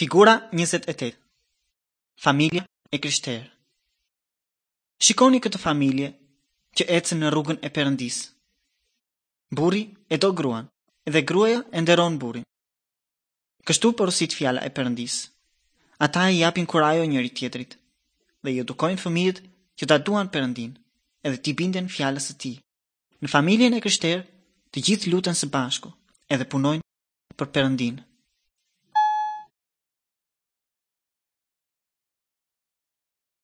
Figura 28. Familja e krishterë. Shikoni këtë familje që ecën në rrugën e Perëndisë. Burri e do gruan dhe gruaja e nderon burrin. Kështu porosit fjala e Perëndisë. Ata i japin kurajo njëri-tjetrit dhe i edukojnë fëmijët që ta duan Perëndinë edhe t'i binden fjalës së tij. Në familjen e krishterë, të gjithë luten së bashku edhe punojnë për Perëndinë.